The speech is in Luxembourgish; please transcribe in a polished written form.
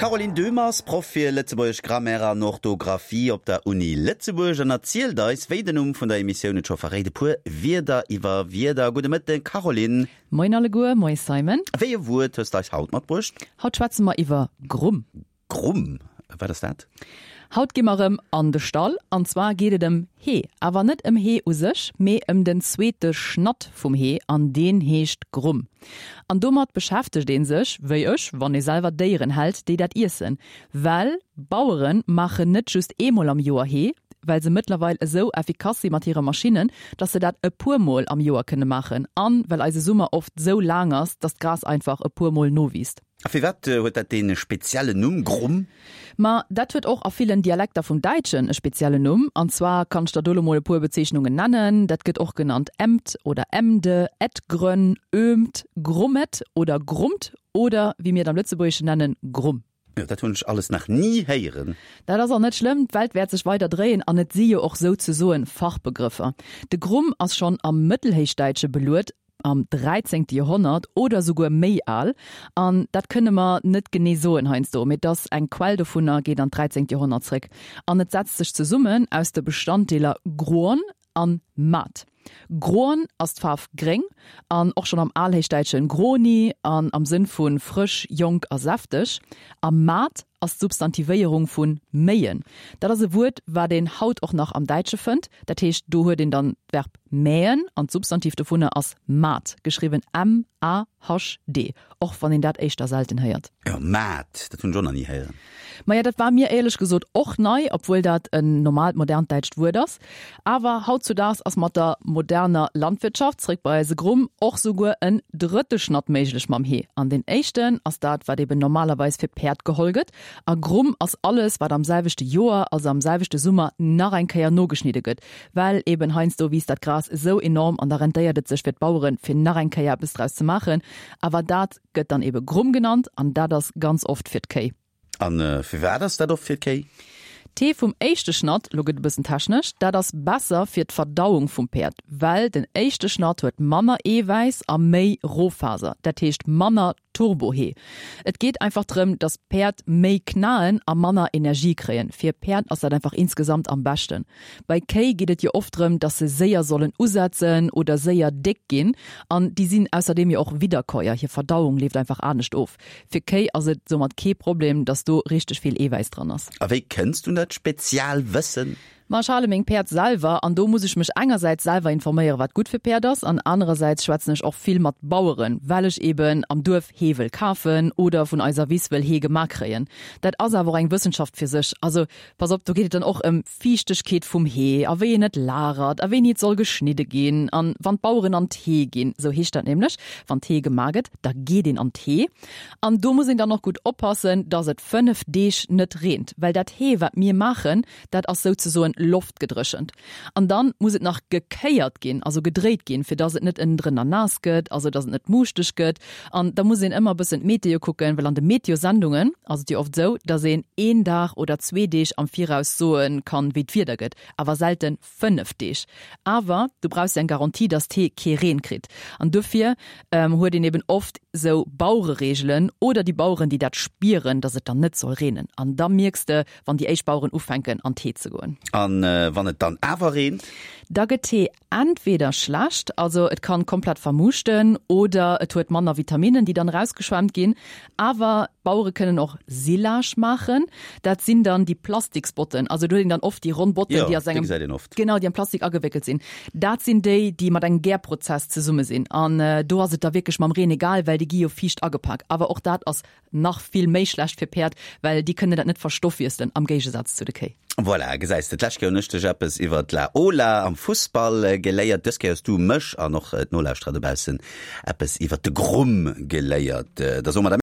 D'Caroline Döhmer ass Proff fir Lëtzebuergesch Grammaire an Orthografie op der Uni Lëtzebuerg an erzielt eis, wéi den Numm vun der Emissioun et scho verréit, e puer Wierder iwwer Wierder. Gudde Mëtten, Caroline. Moien alleguer, moie Simon. Wéi e Wuert hues de eis haut matbruecht? Haut schwätze mer iwwer Grumm. Grumm, wat ass dat? Haut gi mer erëm an de Stall, an zwar geet et ëm Hee. Awer net ëm Hee u sech, mee ëm den zweete Schnatt vum Hee, an deen heescht Grumm. An domat beschäftegt ee sech, wéi ech, wann ee selwer Déieren hält, déi dat iessen. Well Bauere maachen net just eemol am Joer Hee, well se mëttlerweil esou effikass si mat hire Maschinnen, dass se dat e puer Mol am Joer kënne maachen, an well eise Summer oft esou laang ass, dass d'Gras einfach e puer Mol nowiisst. A firwat huet dat dee speziellen Numm, Grumm? Ma dat huet och a villen Dialekter vum Däitschen e speziellen Numm. An zwar kann ech der do lo mol e puer Bezeechnungen nennen, Dat gëtt och genannt Emd oder Emde, Edgrönn, Ömt, Grummet oder Grummt oder, wéi mir et am Lëtzebuergeschen nennen, Grumm. Jo, dat hunn ech alles nach ni héieren. Dat ass och net schlëmm, d'Welt wäert sech weider dréien an et si jo och souzesoen Fachbegrëffer. De Grumm ass schonn am Mëttelhéichdäitsche beluet, am dräizéngte Joerhonnert oder souguer méi al, an dat kënne mer net genee soen heiansdo, mee et ass eng Quell dovunner geet an d'dräizéngt Joerhonnert zréck an et setzt sech zesummen aus de Bestanddeeler groon an mat. Groon ass d'Faarf gréng an och schonn am Alhéichdäitschen groni an am Sënn vu frësch, jonk a säfteg, a mat ass d'Substantivéierung vu méien. Dat ass e Wuert, wat een haut och nach am Däitsche fënnt. Dat heescht, do huet een dann d'Verb mähen an d'Substantiv dovunner ass Mahd, geschriwwen M-A-H-D, och wann een dat éischter selten héiert. Jo, Mahd, dat hunn ech och nach ni héieren. Maja, dat war mir éierlech gesot och nei, obwuel dat en normaalt modernt däitscht Wuert ass. Awer hautzudaags ass mat der moderner Landwirtschaft, zréck bei eise Grumm, och souguer en drëtte Schnatt méiglech mam Hee. An deen éischten ass dat, wat eben normalerweis fir d'Päerd geholl gëtt. A Grumm ass alles, wat am selwechte Joer, also am selwechte Summer, nach eng Kéier nogeschnidde gëtt. Well eben heiansdo wiisst dat Gras esou enorm an da rentéiert et sech fir d'Baueren, fir nach eng Kéier eppes draus ze maachen. Awer dat gëtt dann ebe Grumm genannt an dat ass ganz oft fir d'Kéi. A firwat ass dat oft fir d'Kéi? D'Hee vum éischte Schnatt, lo gëtt e bëssen technesch, dat ass besser fir d'Verdauung vum Päerd, well den éischte Schnatt huet manner Eewäiss a méi Rohfaser, dat heescht manner Turbohee. Et geet einfach drëm, dass d'Päerd méi knaen a manner Energie kréien. Fir Päerd ass dat einfach insgesamt am beschten. Bei Kéi geet et jo oft drëm, dass se séier sollen usetzen oder séier déck ginn an déi sinn ausserdeem jo och Widderkäuer, hir Verdauung leeft einfach anescht of. Fir Kéi ass et soumat kee Problem, dass do richteg vill Eewäiss dran ass. A wéi kënns du un dat Spezialwëssen? Ma ech hale meng Päerd selwer an do muss ech mech engersäits selwer informéieren, wat gutt fir Päerd ass an anerersäits schwätzen ech och vill mat Baueren, well ech eben am Duerf Hee wëll kafen oder vun eiser Wiss wëll Hee gemaach kréien. Dat ass awer och eng Wëssenschaft fir sech. Also pass op, do geet et dann och ëm Fiichtegkeet vum Hee a wéi een et lagert a wéini et soll geschnidde ginn an wann d'Baueren an d'Hee ginn, esou heescht dat nämlech, wann d'Hee gemaach gëtt, da geet een an d'Hee an do muss een dann och gutt oppassen, dass et 5 Deeg net reent, well dat Hee wat mir maachen, dat ass souzesoen loftgedréchent an dann muss et nach gekéiert ginn, also gedréit ginn, fir dass et net ënnendrënner naass gëtt, also dass et net muuschteg gëtt. An da muss een ëmmer e bëssen d'Meteo kucken, well an de Meteosendungen ass et jo oft esou, dass een een Dag oder zwee Deeg am Viraus soe kann, wéi d'Wieder gëtt, awer selten 5 Deeg. Awer du brauchs jo eng Garantie, dass d'Hee kee Reen kritt. An dofir huet een eben oft esou Bauerereegelen oder déi Baueren, déi dat spieren, dass et dann net soll reenen. An da mierks de, wann déi éischt Baueren ufänken an d'Hee ze goen. A wann et dann awer reent? Da gëtt d'Hee entweder schlecht, also et kann komplett vermuuschten, oder et huet manner Vitaminen, déi dann erausgeschwemmt ginn. Awer d'Bauere kënnen och Silage maachen. Dat sinn dann déi Plastiksbotten, also do huet een dann oft déi ronn Botten, Jo, déi aus déi engem, gesäit een oft. genau, déi am Plastik agewéckelt sinn. Dat sinn déi, déi mat engem Gärprozess zesumme sinn. An do ass et da wierklech mam Reen egal, well déi gi jo fiicht agepak. Awer och dat ass Nach vill méi schlecht fir Päerd, well déi kënnen dat net verstoffwiesselen, am Géigesaz zu de Kéi. Voilà, gesäis de, d'lescht Kéier hunn ech dech eppes iwwer d'La Ola am Fussball geléiert, dës Kéier hues du mech an och d'Nolauschterer dobaussen eppes iwwer de Grumm geléiert. Da soe mer der.